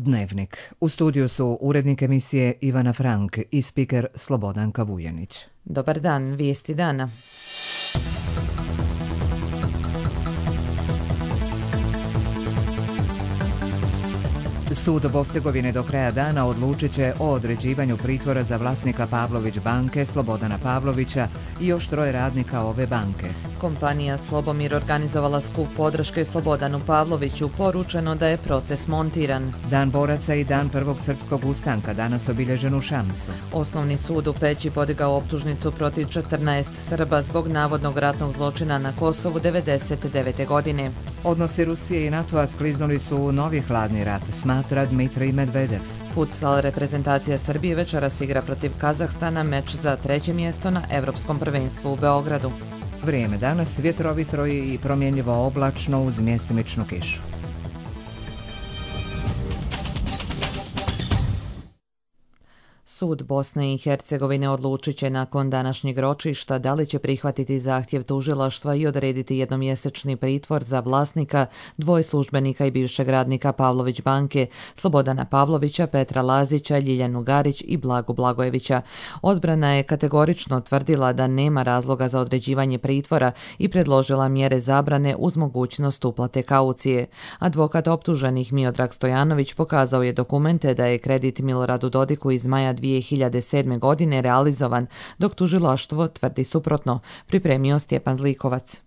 Dnevnik. U studiju su urednik emisije Ivana Frank i spiker Slobodanka Vujanić. Dobar dan, vijesti dana. Sud Bosne do kraja dana odlučit će o određivanju pritvora za vlasnika Pavlović banke Slobodana Pavlovića i još 3 radnika ove banke. Kompanija Slobomir organizovala skup podrške Slobodanu Pavloviću, poručeno da je proces montiran. Dan boraca i dan prvog srpskog ustanka danas obilježen u Šamcu. Osnovni sud u Peći podigao optužnicu protiv 14 Srba zbog navodnog ratnog zločina na Kosovu 1999. godine. Odnosi Rusije i NATO-a skliznuli su u novi hladni rat, smatra Dmitrij Medvedev. Futsal reprezentacija Srbije večeras igra protiv Kazahstana, meč za 3. mjesto na Evropskom prvenstvu u Beogradu. Vrijeme danas vjetrovito i promjenjivo oblačno uz mjestimičnu kišu. Sud Bosne i Hercegovine odlučit će nakon današnjeg ročišta da li će prihvatiti zahtjev tužilaštva i odrediti jednomjesečni pritvor za vlasnika, 2 službenika i bivšeg radnika Pavlović banke, Slobodana Pavlovića, Petra Lazića, Ljiljanu Garić i Blagu Blagojevića. Odbrana je kategorično tvrdila da nema razloga za određivanje pritvora i predložila mjere zabrane uz mogućnost uplate kaucije. Advokat optuženih Miodrag Stojanović pokazao je dokumente da je kredit Miloradu Dodiku iz maja 2007. godine realizovan, dok tužilaštvo tvrdi suprotno, pripremio Stjepan Zlikovac.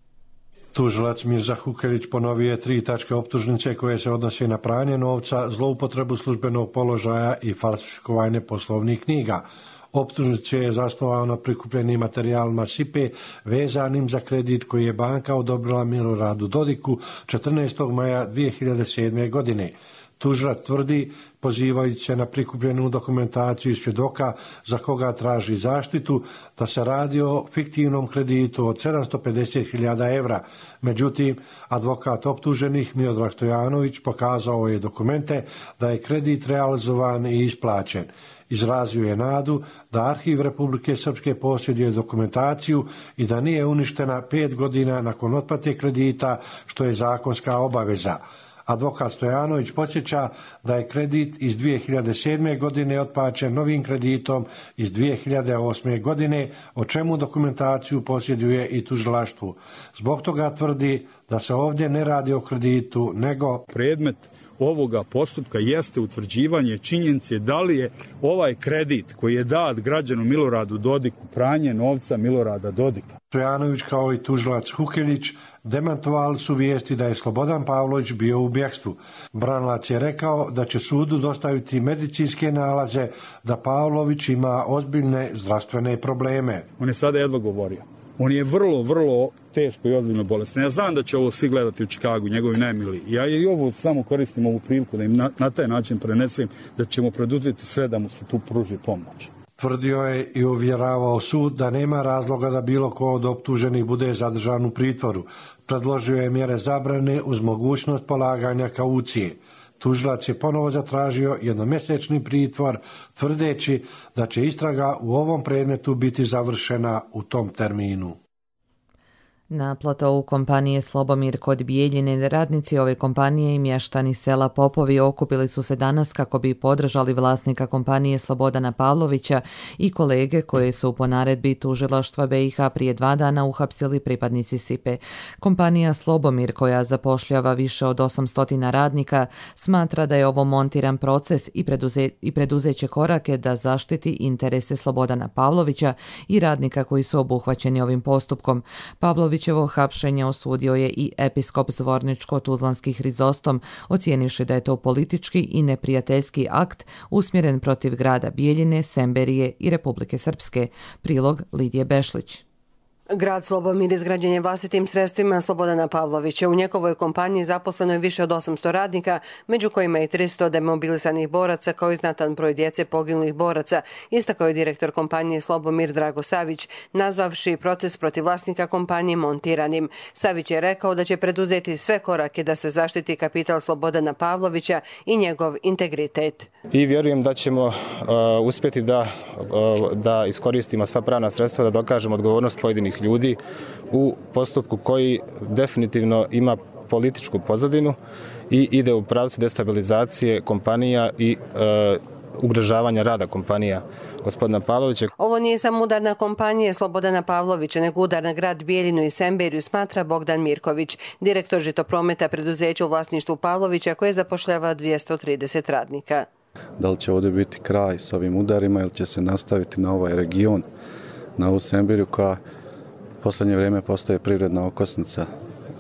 Tužilac Mirza Hukelić ponovio je 3 tačke optužnice koje se odnose na pranje novca, zloupotrebu službenog položaja i falsifikovanje poslovnih knjiga. Optužnice je zasnovao na prikupljenim materijalima SIPE vezanim za kredit koji je banka odobrila Miloradu Dodiku 14. maja 2007. godine. Tužilac tvrdi, pozivajući se na prikupljenu dokumentaciju i svjedoka za koga traži zaštitu, da se radi o fiktivnom kreditu od 750.000 evra. Međutim, advokat optuženih Miodrag Stojanović pokazao je dokumente da je kredit realizovan i isplaćen. Izrazio je nadu da Arhiv Republike Srpske posjeduje dokumentaciju i da nije uništena 5 godina nakon otplate kredita, što je zakonska obaveza. Advokat Stojanović podsjeća da je kredit iz 2007. godine otplaćen novim kreditom iz 2008. godine, o čemu dokumentaciju posjeduje i tužilaštvo. Zbog toga tvrdi da se ovdje ne radi o kreditu, nego predmet ovoga postupka jeste utvrđivanje činjenice da li je ovaj kredit koji je dat građanu Miloradu Dodiku pranje novca Milorada Dodika. Stojanović kao i tužilac Hukelić demantovali su vijesti da je Slobodan Pavlović bio u bjegstvu. Branilac je rekao da će sudu dostaviti medicinske nalaze da Pavlović ima ozbiljne zdravstvene probleme. On je sada jedva govorio. On je vrlo teško i ozbiljno bolestan. Ja znam da će ovo svi gledati u Čikagu, njegovi najmiliji. Ja i ovo samo koristim ovu priliku da im na taj način prenesem da ćemo preduzeti sve da mu se tu pruži pomoć. Tvrdio je i uvjeravao sud da nema razloga da bilo ko od optuženih bude zadržan u pritvoru. Predložio je mjere zabrane uz mogućnost polaganja kaucije. Tužilac je ponovo zatražio jednomjesečni pritvor, tvrdeći da će istraga u ovom predmetu biti završena u tom terminu. Na platovu kompanije Slobomir kod Bijeljine radnici ove kompanije i mještani sela Popovi okupili su se danas kako bi podržali vlasnika kompanije Slobodana Pavlovića i kolege koje su po naredbi tužilaštva BiH prije 2 dana uhapsili pripadnici SIPE. Kompanija Slobomir, koja zapošljava više od 800 radnika, smatra da je ovo montiran proces i preduzeće korake da zaštiti interese Slobodana Pavlovića i radnika koji su obuhvaćeni ovim postupkom. Pavlovićevo hapšenje osudio je i episkop Zvorničko-Tuzlanski Hrizostom, ocijenivši da je to politički i neprijateljski akt usmjeren protiv grada Bijeljine, Semberije i Republike Srpske. Prilog Lidije Bešlić. Grad Slobomir izgrađen je vlastitim sredstvima Slobodana Pavlovića. U njegovoj kompaniji zaposleno je više od 800 radnika, među kojima i 300 demobilisanih boraca kao i znatan broj djece poginulih boraca, istakao je direktor kompanije Slobomir Drago Savić, nazvavši proces protiv vlasnika kompanije montiranim. Savić je rekao da će preduzeti sve korake da se zaštiti kapital Slobodana Pavlovića i njegov integritet. I vjerujem da ćemo uspjeti da iskoristimo sva pravna sredstva, da dokažemo odgovornost pojedinih ljudi u postupku koji definitivno ima političku pozadinu i ide u pravcu destabilizacije kompanija i ugrožavanja rada kompanija gospodina Pavlovića. Ovo nije samo udar na kompanije Slobodana Pavlovića, nego udar na grad Bijeljinu i Semberiju, smatra Bogdan Mirković, direktor žitoprometa preduzeća u vlasništvu Pavlovića koje zapošljava 230 radnika. Da li će ovdje biti kraj s ovim udarima ili će se nastaviti na ovaj region, na ovu Semberiju koja u posljednje vrijeme postaje privredna okosnica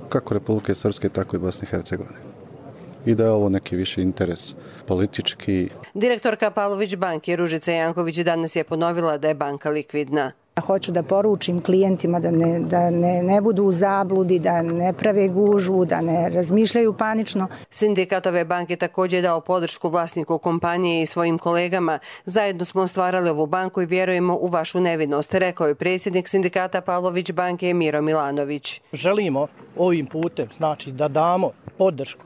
kako Republike Srpske, tako i Bosne i Hercegovine. I da je ovo neki viši interes politički. Direktorka Pavlović banke Ružica Janković danas je ponovila da je banka likvidna. Hoću da poručim klijentima da ne budu u zabludi, da ne prave gužvu, da ne razmišljaju panično. Sindikat ove banke također je dao podršku vlasniku kompanije i svojim kolegama. Zajedno smo stvarali ovu banku i vjerujemo u vašu nevinost, rekao je predsjednik sindikata Pavlović banke Miro Milanović. Želimo ovim putem da damo podršku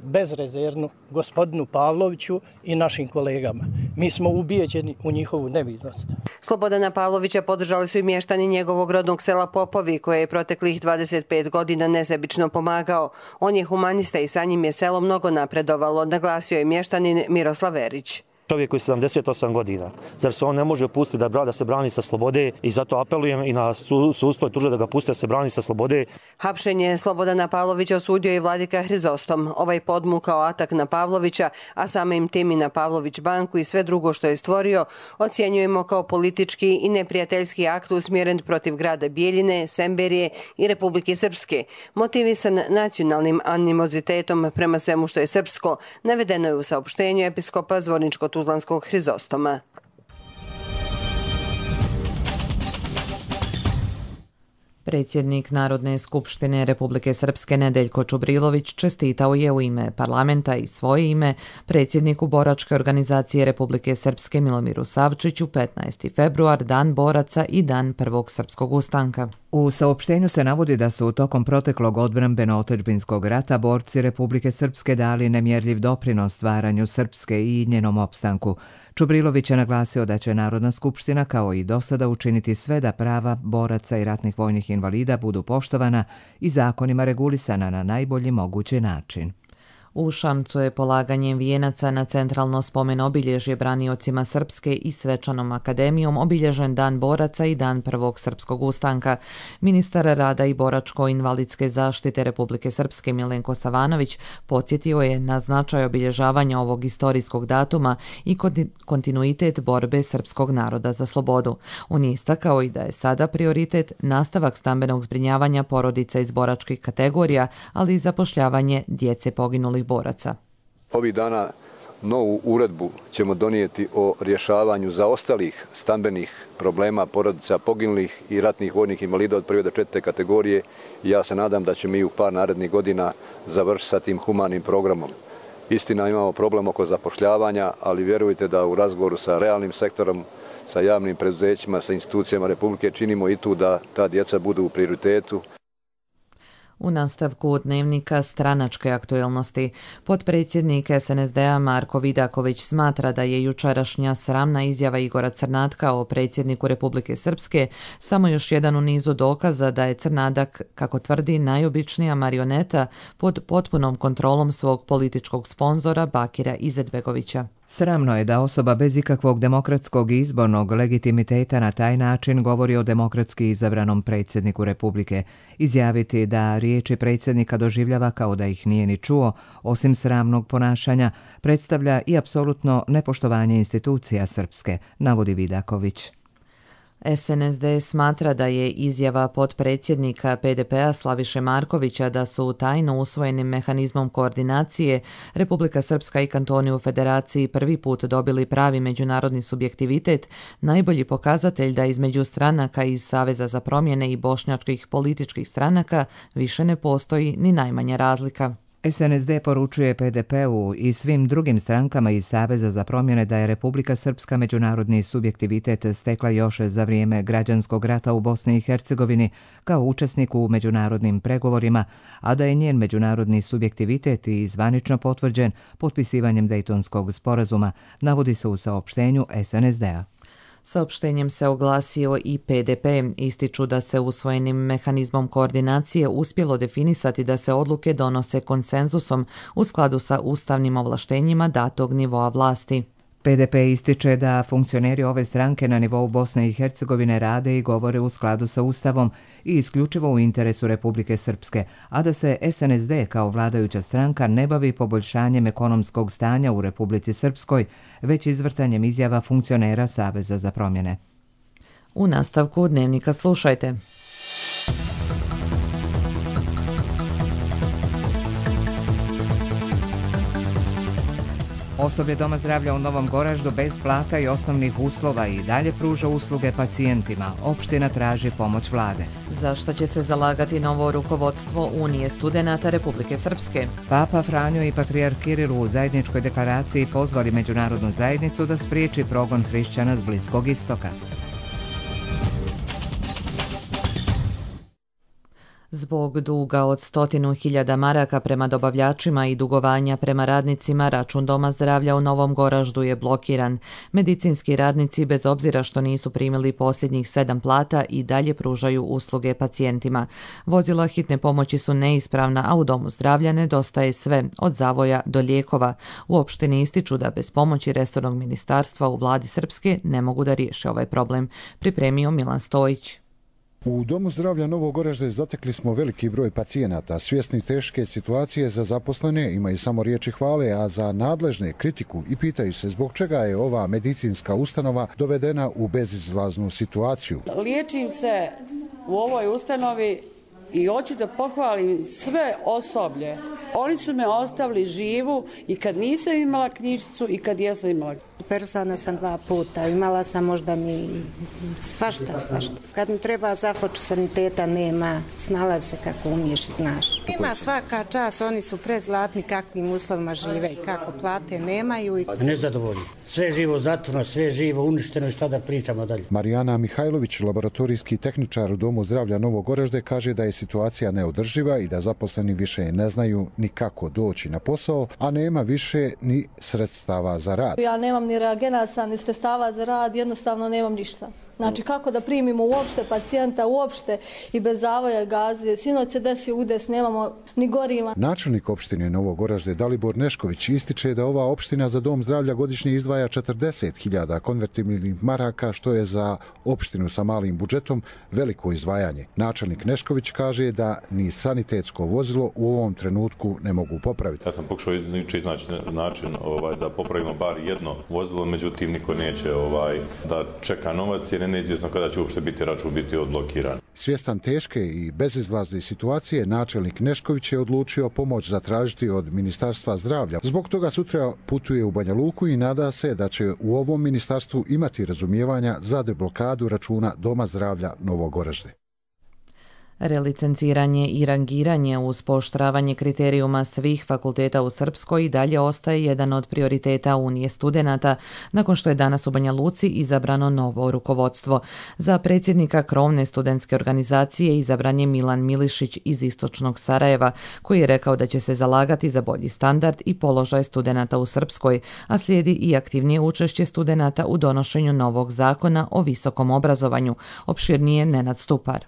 bezrezervnu gospodinu Pavloviću i našim kolegama. Mi smo ubijeđeni u njihovu nevinost. Slobodana Pavlovića podržali su i mještani njegovog rodnog sela Popovi, koje je proteklih 25 godina nesebično pomagao. On je humanista i sa njim je selo mnogo napredovalo, naglasio je mještanin Miroslav Verić. Čovjek koji je 78 godina. Zar se on ne može pustiti da se brani sa slobode i zato apelujem i na sudstvo i tuže da ga puste da se brani sa slobode. Hapšenje Slobodana Pavlovića osudio i vladika Hrizostom. Ovaj podmukao atak na Pavlovića, a samim tim i na Pavlović banku i sve drugo što je stvorio, ocjenjujemo kao politički i neprijateljski akt usmjeren protiv grada Bijeljine, Semberije i Republike Srpske. Motivisan nacionalnim animozitetom prema svemu što je srpsko, navedeno je u saopštenju episkopa Zvorničko-Tuzlanskog Hrizostoma. Predsjednik Narodne skupštine Republike Srpske Nedeljko Čubrilović čestitao je u ime parlamenta i svoje ime predsjedniku boračke organizacije Republike Srpske Milomiru Savčiću 15. februar, Dan boraca i Dan prvog srpskog ustanka. U saopštenju se navodi da su tokom proteklog odbrambeno-otadžbinskog rata borci Republike Srpske dali nemjerljiv doprinos stvaranju Srpske i njenom opstanku. Čubrilović je naglasio da će Narodna skupština kao i dosada učiniti sve da prava boraca i ratnih vojnih invalida budu poštovana i zakonima regulisana na najbolji mogući način. U Šamcu je polaganjem vijenaca na centralno spomen obilježje braniocima Srpske i svečanom akademijom obilježen Dan boraca i Dan prvog srpskog ustanka. Ministar rada i boračko-invalidske zaštite Republike Srpske Milenko Savanović podsjetio je na značaj obilježavanja ovog historijskog datuma i kontinuitet borbe srpskog naroda za slobodu. On je istakao i da je sada prioritet nastavak stambenog zbrinjavanja porodica iz boračkih kategorija, ali i zapošljavanje djece poginulih boraca. Ovih dana novu uredbu ćemo donijeti o rješavanju zaostalih stambenih problema porodica poginulih i ratnih vojnih invalida od 1. do 4. kategorije i ja se nadam da ćemo i u par narednih godina završiti sa tim humanim programom. Istina, imamo problem oko zapošljavanja, ali vjerujte da u razgovoru sa realnim sektorom, sa javnim preduzećima, sa institucijama Republike činimo i tu da ta djeca budu u prioritetu. U nastavku dnevnika stranačke aktuelnosti, potpredsjednik SNSD-a Marko Vidaković smatra da je jučerašnja sramna izjava Igora Crnatka o predsjedniku Republike Srpske samo još jedan u nizu dokaza da je Crnadak, kako tvrdi, najobičnija marioneta pod potpunom kontrolom svog političkog sponzora Bakira Izetbegovića. Sramno je da osoba bez ikakvog demokratskog i izbornog legitimiteta na taj način govori o demokratski izabranom predsjedniku Republike. Izjaviti da riječi predsjednika doživljava kao da ih nije ni čuo, osim sramnog ponašanja, predstavlja i apsolutno nepoštovanje institucija Srpske, navodi Vidaković. SNSD smatra da je izjava potpredsjednika PDP-a Slaviše Markovića da su tajno usvojenim mehanizmom koordinacije Republika Srpska i kantoni u Federaciji prvi put dobili pravi međunarodni subjektivitet, najbolji pokazatelj da između stranaka iz Saveza za promjene i bošnjačkih političkih stranaka više ne postoji ni najmanja razlika. SNSD poručuje PDP-u i svim drugim strankama iz Saveza za promjene da je Republika Srpska međunarodni subjektivitet stekla još za vrijeme građanskog rata u Bosni i Hercegovini kao učesnik u međunarodnim pregovorima, a da je njen međunarodni subjektivitet i zvanično potvrđen potpisivanjem Dejtonskog sporazuma, navodi se u saopštenju SNSD-a. Saopštenjem se oglasio i PDP. Ističu da se usvojenim mehanizmom koordinacije uspjelo definisati da se odluke donose konsenzusom u skladu sa ustavnim ovlaštenjima datog nivoa vlasti. PDP ističe da funkcioneri ove stranke na nivou Bosne i Hercegovine rade i govore u skladu sa Ustavom i isključivo u interesu Republike Srpske, a da se SNSD kao vladajuća stranka ne bavi poboljšanjem ekonomskog stanja u Republici Srpskoj, već izvrtanjem izjava funkcionera Saveza za promjene. U nastavku Dnevnika slušajte. Osoblje Doma zdravlja u Novom Goraždu bez plata i osnovnih uslova i dalje pruža usluge pacijentima. Opština traži pomoć vlade. Za što će se zalagati novo rukovodstvo Unije studenata Republike Srpske? Papa Franjo i patrijarh Kiril u zajedničkoj deklaraciji pozvali međunarodnu zajednicu da spriječi progon hrišćana s Bliskog istoka. Zbog duga od 100.000 maraka prema dobavljačima i dugovanja prema radnicima, račun Doma zdravlja u Novom Goraždu je blokiran. Medicinski radnici, bez obzira što nisu primili posljednjih 7 plata, i dalje pružaju usluge pacijentima. Vozila hitne pomoći su neispravna, a u Domu zdravlja nedostaje sve, od zavoja do lijekova. U opštini ističu da bez pomoći resornog ministarstva u vladi Srpske ne mogu da riješe ovaj problem. Pripremio Milan Stojić. U Domu zdravlja Novog Goražda zatekli smo veliki broj pacijenata. Svjesni teške situacije za zaposlene imaju samo riječi hvale, a za nadležne kritiku i pitaju se zbog čega je ova medicinska ustanova dovedena u bezizlaznu situaciju. Liječim se u ovoj ustanovi i hoću da pohvalim sve osoblje. Oni su me ostavili živu i kad nisam imala knjižicu i kad jesam imala. Persona sam 2 puta, imala sam možda mi svašta. Kad mi treba zafoču saniteta nema, snalazi se kako umiješ i znaš. Ima svaka čast, oni su prezlatni kakvim uslovima žive i kako plate nemaju. Nezadovoljni. Sve živo zatvorno, sve živo uništeno i šta da pričamo dalje. Marijana Mihajlović, laboratorijski tehničar u Domu zdravlja Novog Goražde, kaže da je situacija neodrživa i da zaposleni više ne znaju ni kako doći na posao, a nema više ni sredstava za rad. Ja nemam ni reagenasa, ni sredstava za rad, jednostavno nemam ništa. Znači kako da primimo uopšte pacijenta, uopšte i bez zavoja gaze. Sinoć se desio udes, nemamo ni goriva. Načelnik opštine Novog Goražde Dalibor Nešković ističe da ova opština za Dom zdravlja godišnje izdvaja 40.000 konvertibilnih maraka, što je za opštinu sa malim budžetom veliko izdvajanje. Načelnik Nešković kaže da ni sanitetsko vozilo u ovom trenutku ne mogu popraviti. Ja sam pokušao iznaći način da popravimo bar jedno vozilo, međutim niko neće da čeka novac jer je neizvjesno kada će uopšte biti račun biti odblokiran. Svjestan teške i bezizlazne situacije, načelnik Nešković je odlučio pomoć zatražiti od Ministarstva zdravlja. Zbog toga sutra putuje u Banja Luku i nada se da će u ovom ministarstvu imati razumijevanja za deblokadu računa Doma zdravlja Novog Goražde. Relicenciranje i rangiranje uz pooštravanje kriterijuma svih fakulteta u Srpskoj i dalje ostaje jedan od prioriteta Unije studenata, nakon što je danas u Banja Luci izabrano novo rukovodstvo. Za predsjednika krovne studentske organizacije izabran je Milan Milišić iz istočnog Sarajeva, koji je rekao da će se zalagati za bolji standard i položaj studenata u Srpskoj, a slijedi i aktivnije učešće studenata u donošenju novog zakona o visokom obrazovanju. Opširnije Nenad Stupar.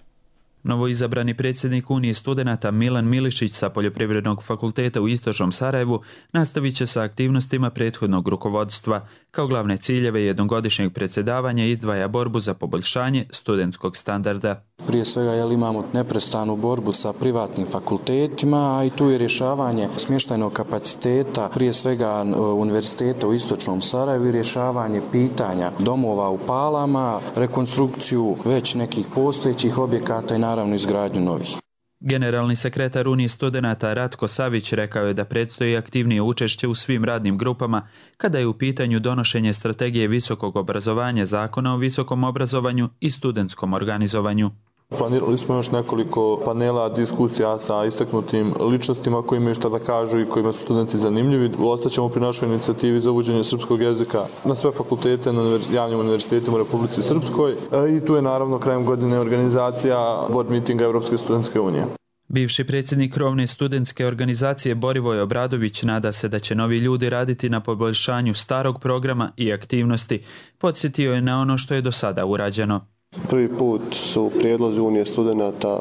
Novoizabrani predsjednik Unije studenata Milan Milišić sa Poljoprivrednog fakulteta u Istočnom Sarajevu nastavit će sa aktivnostima prethodnog rukovodstva. Kao glavne ciljeve jednogodišnjeg predsjedavanja izdvaja borbu za poboljšanje studentskog standarda. Prije svega imamo neprestanu borbu sa privatnim fakultetima, a i tu je rješavanje smještajnog kapaciteta, prije svega univerziteta u Istočnom Sarajevu i rješavanje pitanja domova u Palama, rekonstrukciju već nekih postojećih objekata i naravno izgradnju novih. Generalni sekretar Unije studenata Ratko Savić rekao je da predstoji aktivnije učešće u svim radnim grupama kada je u pitanju donošenje strategije visokog obrazovanja, zakona o visokom obrazovanju i studentskom organizovanju. Planirali smo još nekoliko panela, diskusija sa istaknutim ličnostima koji imaju šta da kažu i kojima su studenti zanimljivi. Ostaćemo pri našoj inicijativi za uvođenje srpskog jezika na sve fakultete, na javnim univerzitetima u Republici Srpskoj. I tu je naravno krajem godine organizacija board meetinga Evropske studentske unije. Bivši predsjednik krovne studentske organizacije Borivoj Obradović nada se da će novi ljudi raditi na poboljšanju starog programa i aktivnosti. Podsjetio je na ono što je do sada urađeno. Prvi put su prijedlozi Unije studenata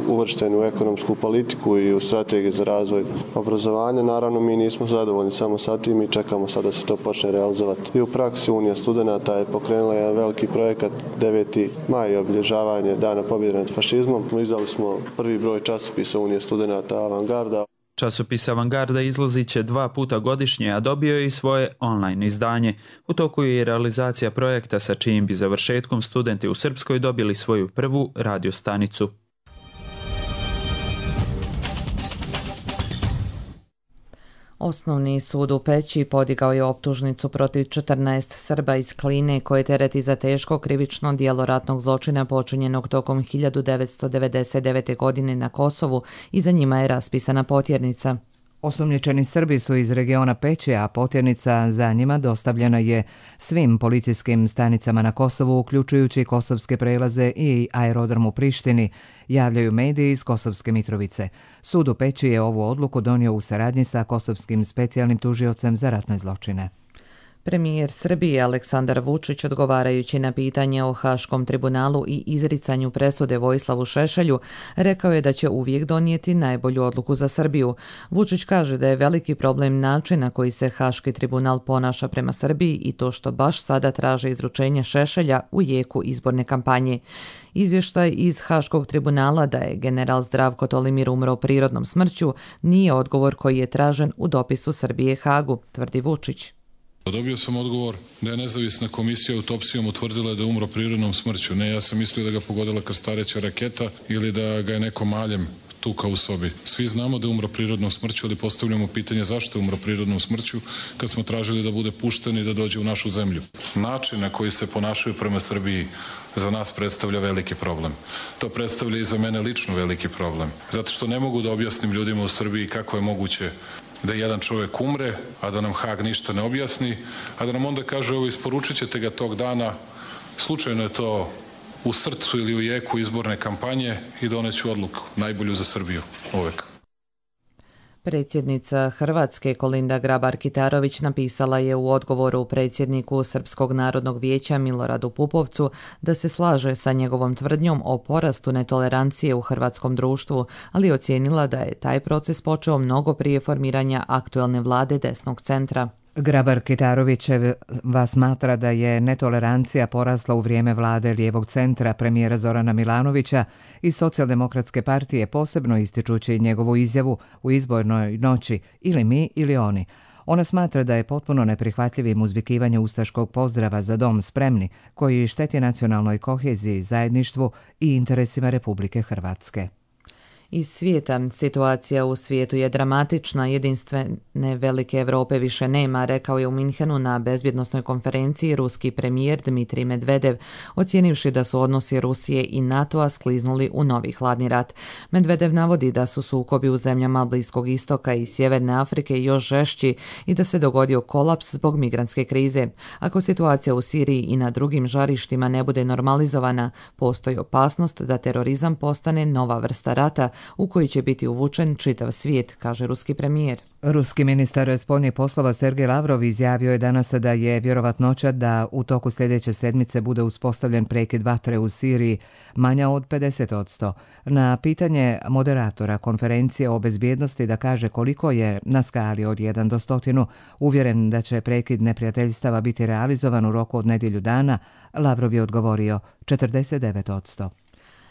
uvršteni u ekonomsku politiku i u strategiju za razvoj obrazovanja. Naravno, mi nismo zadovoljni samo sa tim i čekamo sada da se to počne realizovati. I u praksi Unija studenata je pokrenula jedan veliki projekat 9. maj, obilježavanje Dana pobjede nad fašizmom. Izdali smo prvi broj časopisa Unije studenata Avangarda. Časopis Avangarda izlazit će 2 puta godišnje, a dobio je i svoje online izdanje. U toku je i realizacija projekta sa čijim bi završetkom studenti u Srpskoj dobili svoju prvu radiostanicu. Osnovni sud u Peći podigao je optužnicu protiv 14 Srba iz Kline koje tereti za teško krivično djelo ratnog zločina počinjenog tokom 1999. godine na Kosovu i za njima je raspisana potjernica. Osumnjičeni Srbi su iz regiona Peći, a potjernica za njima dostavljena je svim policijskim stanicama na Kosovu, uključujući kosovske prelaze i aerodrom u Prištini, javljaju mediji iz Kosovske Mitrovice. Sud u Peći je ovu odluku donio u saradnji sa kosovskim specijalnim tužiocem za ratne zločine. Premijer Srbije Aleksandar Vučić, odgovarajući na pitanje o Haškom tribunalu i izricanju presude Vojislavu Šešelju, rekao je da će uvijek donijeti najbolju odluku za Srbiju. Vučić kaže da je veliki problem način na koji se Haški tribunal ponaša prema Srbiji i to što baš sada traže izručenje Šešelja u jeku izborne kampanje. Izvještaj iz Haškog tribunala da je general Zdravko Tolimir umro prirodnom smrću nije odgovor koji je tražen u dopisu Srbije Hagu, tvrdi Vučić. Dobio sam odgovor da je nezavisna komisija autopsijom utvrdila da je umro prirodnom smrću. Ne, ja sam mislio da ga pogodila krstareća raketa ili da ga je neko maljem tukao u sobi. Svi znamo da je umro prirodnom smrću, ali postavljamo pitanje zašto je umro prirodnom smrću kad smo tražili da bude pušten i da dođe u našu zemlju. Način na koji se ponašaju prema Srbiji za nas predstavlja veliki problem. To predstavlja i za mene lično veliki problem. Zato što ne mogu da objasnim ljudima u Srbiji kako je moguće da jedan čovjek umre, a da nam Hag ništa ne objasni, a da nam onda kaže ovo isporučit ćete ga tog dana, slučajno je to u srcu ili u jeku izborne kampanje i doneću odluku, najbolju za Srbiju, uvek. Predsjednica Hrvatske Kolinda Grabar-Kitarović napisala je u odgovoru predsjedniku Srpskog narodnog vijeća Miloradu Pupovcu da se slaže sa njegovom tvrdnjom o porastu netolerancije u hrvatskom društvu, ali ocijenila da je taj proces počeo mnogo prije formiranja aktuelne vlade desnog centra. Grabar-Kitarovićeva smatra da je netolerancija porasla u vrijeme vlade lijevog centra premijera Zorana Milanovića i Socijaldemokratske partije, posebno ističući njegovu izjavu u izbornoj noći ili mi ili oni. Ona smatra da je potpuno neprihvatljivim uzvikivanje ustaškog pozdrava za dom spremni, koji šteti nacionalnoj koheziji, zajedništvu i interesima Republike Hrvatske. Iz svijeta. Situacija u svijetu je dramatična, jedinstvene velike Europe više nema, rekao je u Minhenu na bezbjednosnoj konferenciji ruski premijer Dmitrij Medvedev, ocijenivši da su odnosi Rusije i NATO-a skliznuli u novi hladni rat. Medvedev navodi da su sukobi u zemljama Bliskog istoka i Sjeverne Afrike još žešći i da se dogodio kolaps zbog migrantske krize. Ako situacija u Siriji i na drugim žarištima ne bude normalizovana, postoji opasnost da terorizam postane nova vrsta rata u koji će biti uvučen čitav svijet, kaže ruski premijer. Ruski ministar spoljnih poslova Sergej Lavrov izjavio je danas da je vjerovatnoća da u toku sljedeće sedmice bude uspostavljen prekid vatre u Siriji manja od 50%. Na pitanje moderatora konferencije o bezbjednosti da kaže koliko je na skali od 1 do 100 uvjeren da će prekid neprijateljstava biti realizovan u roku od nedjelju dana, Lavrov je odgovorio 49%.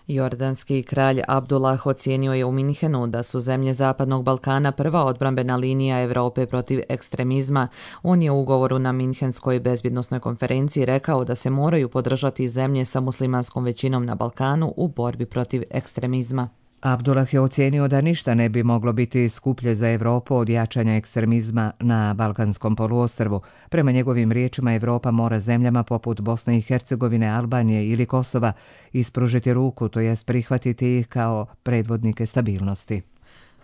Jordanski kralj Abdullah ocijenio je u Minhenu da su zemlje Zapadnog Balkana prva odbrambena linija Europe protiv ekstremizma. On je u ugovoru na Minhenskoj bezbjednosnoj konferenciji rekao da se moraju podržati zemlje sa muslimanskom većinom na Balkanu u borbi protiv ekstremizma. Abdullah je ocijenio da ništa ne bi moglo biti skuplje za Europu od jačanja ekstremizma na Balkanskom poluostrvu. Prema njegovim riječima, Europa mora zemljama poput Bosne i Hercegovine, Albanije ili Kosova ispružiti ruku, to jest prihvatiti ih kao predvodnike stabilnosti.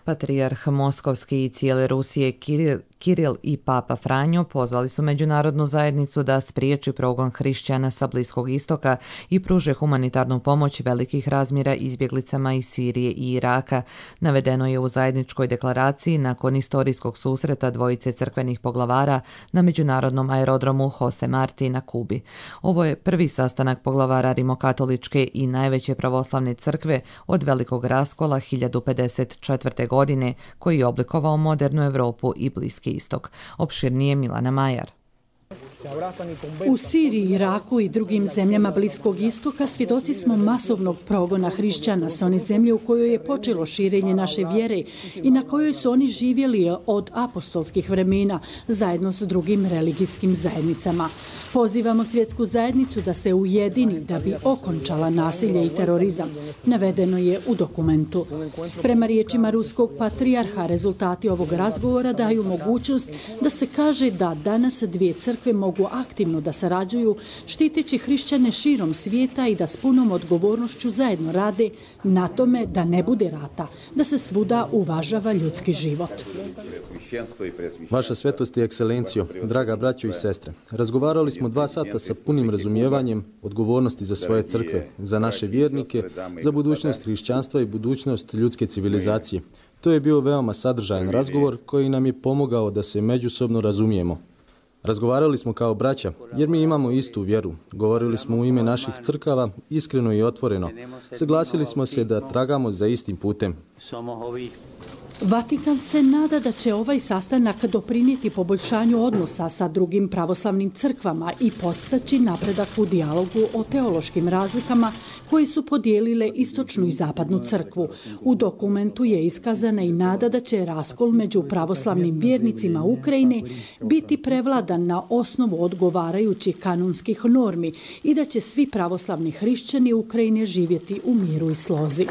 Patrijarh Moskovski i cijele Rusije Kiril Kiril i Papa Franjo pozvali su međunarodnu zajednicu da spriječi progon hrišćana sa Bliskog istoka i pruže humanitarnu pomoć velikih razmjera izbjeglicama iz Sirije i Iraka. Navedeno je u zajedničkoj deklaraciji nakon istorijskog susreta dvojice crkvenih poglavara na međunarodnom aerodromu Jose Marti na Kubi. Ovo je prvi sastanak poglavara rimokatoličke i najveće pravoslavne crkve od velikog raskola 1054. godine koji je oblikovao modernu Europu i Bliski istok. Opširnije Milana Majar. U Siriji, Iraku i drugim zemljama Bliskog istoka svjedoci smo masovnog progona hrišćana s one zemlje u kojoj je počelo širenje naše vjere i na kojoj su oni živjeli od apostolskih vremena zajedno s drugim religijskim zajednicama. Pozivamo svjetsku zajednicu da se ujedini da bi okončala nasilje i terorizam. Navedeno je u dokumentu. Prema riječima ruskog patrijarha, rezultati ovog razgovora daju mogućnost da se kaže da danas dvije crkve mogu aktivno da sarađuju, štiteći hrišćane širom svijeta i da s punom odgovornošću zajedno rade na tome da ne bude rata, da se svuda uvažava ljudski život. Vaša svetost i ekscelencijo, draga braćo i sestre, razgovarali smo 2 sata sa punim razumijevanjem odgovornosti za svoje crkve, za naše vjernike, za budućnost hrišćanstva i budućnost ljudske civilizacije. To je bio veoma sadržajan razgovor koji nam je pomogao da se međusobno razumijemo. Razgovarali smo kao braća, jer mi imamo istu vjeru. Govorili smo u ime naših crkava, iskreno i otvoreno. Saglasili smo se da tragamo za istim putem. Vatikan se nada da će ovaj sastanak doprinijeti poboljšanju odnosa sa drugim pravoslavnim crkvama i podstaći napredak u dijalogu o teološkim razlikama koje su podijelile istočnu i zapadnu crkvu. U dokumentu je iskazana i nada da će raskol među pravoslavnim vjernicima Ukrajine biti prevladan na osnovu odgovarajućih kanonskih normi i da će svi pravoslavni hrišćani Ukrajine živjeti u miru i slozi.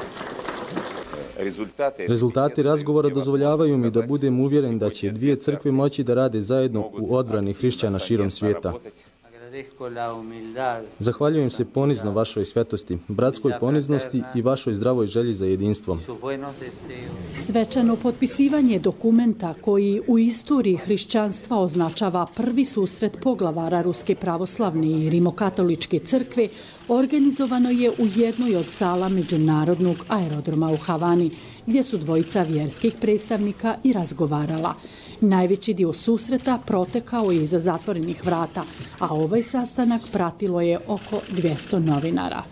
Rezultati razgovora dozvoljavaju mi da budem uvjeren da će dvije crkve moći da rade zajedno u odbrani hrišćana širom svijeta. Zahvaljujem se ponizno vašoj svetosti, bratskoj poniznosti i vašoj zdravoj želji za jedinstvom. Svečano potpisivanje dokumenta koji u istoriji hrišćanstva označava prvi susret poglavara Ruske pravoslavne i rimokatoličke crkve organizovano je u jednoj od sala međunarodnog aerodroma u Havani, gdje su dvojica vjerskih predstavnika i razgovarala. Najveći dio susreta protekao je iza zatvorenih vrata, a ovaj sastanak pratilo je oko 200 novinara.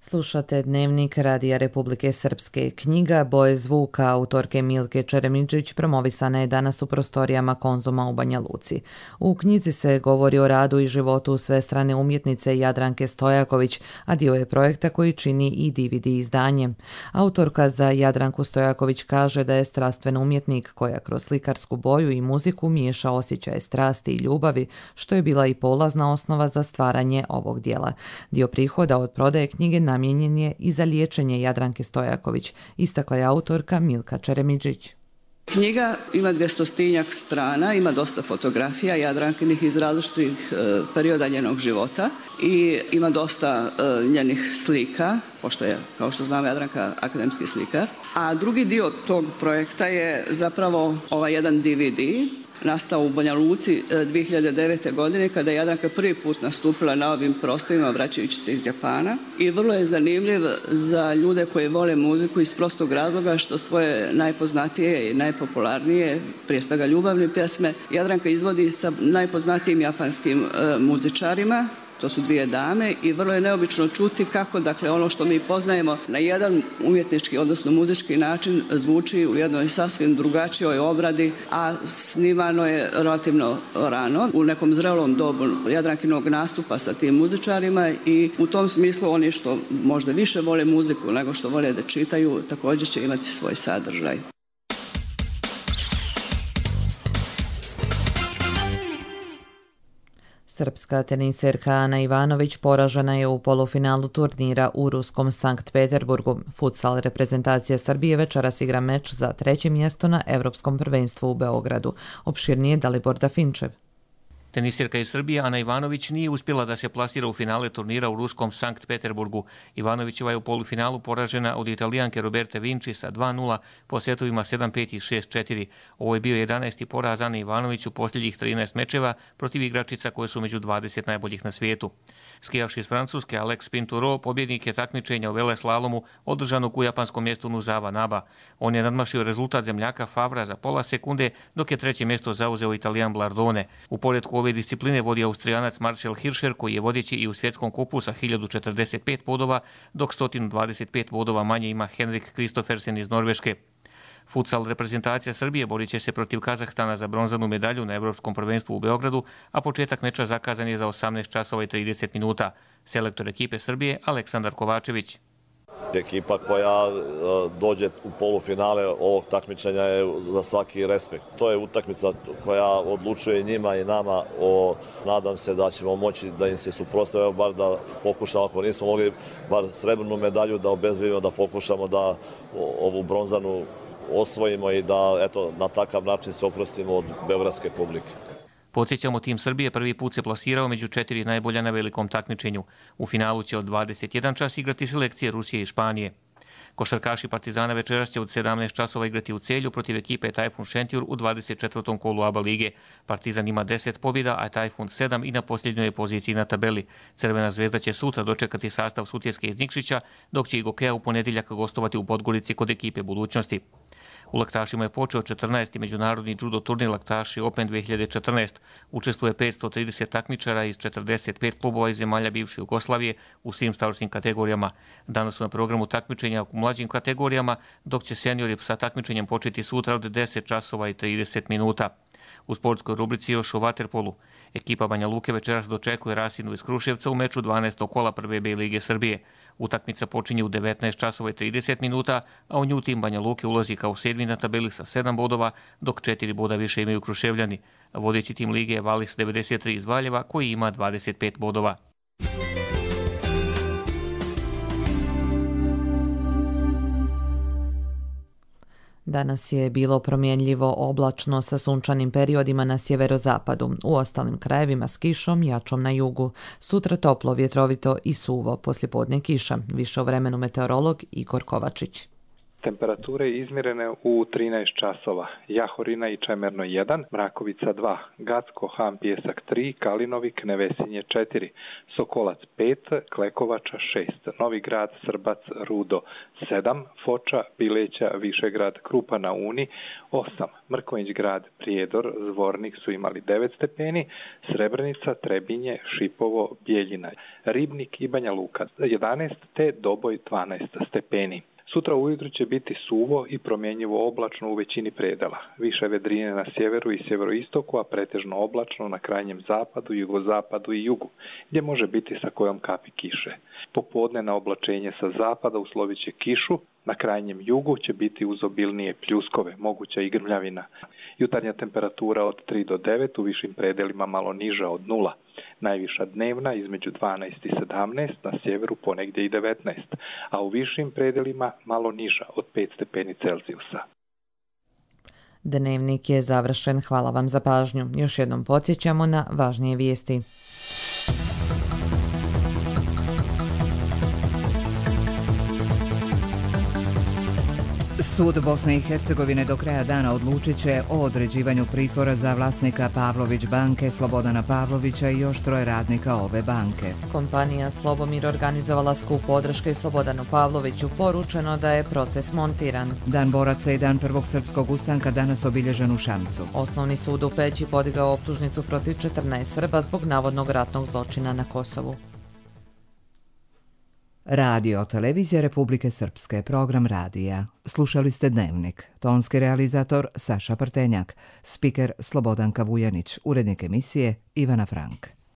Slušate Dnevnik Radija Republike Srpske. Knjiga Boje zvuka autorke Milke Čeremidžić promovisana je danas u prostorijama Konzuma u Banja Luci. U knjizi se govori o radu i životu svestrane umjetnice Jadranke Stojaković, a dio je projekta koji čini i DVD izdanje. Autorka za Jadranku Stojaković kaže da je strastven umjetnik koja kroz slikarsku boju i muziku miješa osjećaje strasti i ljubavi, što je bila i polazna osnova za stvaranje ovog dijela. Dio prihoda od prodaje knjige namijenjen je i za liječenje Jadranke Stojaković, istakla je autorka Milka Čeremidžić. Knjiga ima 200 strana, ima dosta fotografija Jadrankinih iz različitih perioda njenog života i ima dosta njenih slika, pošto je, kao što znamo, Jadranka akademski slikar. A drugi dio tog projekta je zapravo ovaj jedan DVD, nastao u Banja Luci 2009. godine kada je Jadranka prvi put nastupila na ovim prostorima vraćajući se iz Japana i vrlo je zanimljiv za ljude koji vole muziku iz prostog razloga što svoje najpoznatije i najpopularnije, prije svega ljubavne pjesme, Jadranka izvodi sa najpoznatijim japanskim muzičarima. To su dvije dame i vrlo je neobično čuti kako, dakle, ono što mi poznajemo na jedan umjetnički, odnosno muzički način zvuči u jednoj sasvim drugačijoj obradi, a snimano je relativno rano, u nekom zrelom dobu Jadrankinog nastupa sa tim muzičarima i u tom smislu oni što možda više vole muziku nego što vole da čitaju, također će imati svoj sadržaj. Srpska teniserka Ana Ivanović poražena je u polufinalu turnira u ruskom Sankt Peterburgu. Futsal reprezentacija Srbije večeras igra meč za 3. mjesto na Evropskom prvenstvu u Beogradu. Opširnije Dalibor Dafinčev. Tenisirka iz Srbije Ana Ivanović nije uspjela da se plasira u finale turnira u ruskom Sankt Peterburgu. Ivanovićeva je u polufinalu poražena od Italijanke Roberte Vinci sa 2-0 po setovima 7-5 i 6-4. Ovo je bio 11. poraz Ane Ivanović u posljednjih 13 mečeva protiv igračica koje su među 20 najboljih na svijetu. Skijaš iz Francuske Alex Pinturo pobjednik je takmičenja u veleslalomu održanog u japanskom mjestu Nozawa Naba. On je nadmašio rezultat zemljaka Favra za pola sekunde, dok je treće mjesto zauzeo Italijan Blardone. U poretku ove discipline vodi Austrijanac Marcel Hirscher koji je vodeći i u svjetskom kupu sa 1045 bodova, dok 125 bodova manje ima Henrik Kristoffersen iz Norveške. Futsal reprezentacija Srbije borit će se protiv Kazahstana za bronzanu medalju na Evropskom prvenstvu u Beogradu, a početak meča zakazan je za 18 časova i 30 minuta. Selektor ekipe Srbije Aleksandar Kovačević. Ekipa koja dođe u polufinale ovog takmičenja je za svaki respekt. To je utakmica koja odlučuje njima i nama. Nadam se da ćemo moći da im se suprotstavimo, bar da pokušamo, ako nismo mogli, bar srebrnu medalju da obezbedimo, da pokušamo da ovu bronzanu osvojimo i da na takav način se oprostimo od beogradske publike. Podsjećamo, tim Srbije prvi put se plasirao među 4 najbolja na velikom takmičenju. U finalu će od 21 čas igrati selekcije Rusije i Španije. Košarkaši Partizana večeras će od 17 časova igrati u Celju protiv ekipe Tajfun Šentjur u 24. kolu ABA lige. Partizan ima 10 pobjeda, a Tajfun 7 i na posljednjoj poziciji na tabeli. Crvena zvezda će sutra dočekati sastav Sutjeske iz Nikšića, dok će i Gokeja u ponedjeljak gostovati u Podgorici kod ekipe Budućnosti. U laktašima je počeo 14. međunarodni judo turnir Laktaši Open 2014. Učestvuje 530 takmičara iz 45 klubova iz zemalja bivše Jugoslavije u svim starosnim kategorijama. Danas su na programu takmičenja u mlađim kategorijama, dok će seniori sa takmičenjem početi sutra od 10 časova i 30 minuta. U sportskoj rubrici još o vaterpolu. Ekipa Banja Luke večeras dočekuje Rasinu iz Kruševca u meču 12. kola prve B lige Srbije. Utakmica počinje u 19 časova i 30 minuta, a u nju tim Banja Luke ulazi kao 7. na tabeli sa 7 bodova, dok 4 boda više imaju Kruševljani. Vodeći tim lige je Valis 93 iz Valjeva koji ima 25 bodova. Danas je bilo promjenljivo oblačno sa sunčanim periodima na sjeverozapadu, u ostalim krajevima s kišom, jačom na jugu. Sutra toplo, vjetrovito i suvo, poslijepodne kiša. Više o vremenu meteorolog Igor Kovačić. Temperature izmjerene u 13 časova. Jahorina i Čemerno 1, Mrakovica 2, Gacko, Han, Pjesak 3, Kalinovik, Nevesinje 4, Sokolac 5, Klekovača 6, Novi Grad, Srbac, Rudo 7, Foča, Bileća, Višegrad, Krupa na Uni 8, Mrkonjić Grad, Prijedor, Zvornik su imali 9 stepeni, Srebrenica, Trebinje, Šipovo, Bijeljina, Ribnik i Banja Luka 11 te Doboj 12 stepeni. Sutra ujutro će biti suvo i promjenjivo oblačno u većini predela. Više vedrine na sjeveru i sjeveroistoku, a pretežno oblačno na krajnjem zapadu, jugozapadu i jugu, gdje može biti sa kojom kapi kiše. Popodne na oblačenje sa zapada uslovit će kišu, na krajnjem jugu će biti uz obilnije pljuskove, moguća i grmljavina. Jutarnja temperatura od 3 do 9, u višim predelima malo niža od 0. Najviša dnevna između 12 i 17, na sjeveru ponegdje i 19, a u višim predelima malo niža od 5 stepeni Celzijusa. Dnevnik je završen. Hvala vam za pažnju. Još jednom podsjećamo na važnije vijesti. Sud Bosne i Hercegovine do kraja dana odlučit će o određivanju pritvora za vlasnika Pavlović banke Slobodana Pavlovića i još 3 radnika ove banke. Kompanija Slobomir organizovala skup podrške Slobodanu Pavloviću. Poručeno da je proces montiran. Dan boraca i dan prvog srpskog ustanka danas obilježen u Šamcu. Osnovni sud u Peći podigao optužnicu protiv 14 Srba zbog navodnog ratnog zločina na Kosovu. Radio Televizija Republike Srpske, program radija. Slušali ste Dnevnik. Tonski realizator Saša Prtenjak, spiker Slobodanka Vujanić, urednik emisije Ivana Frank.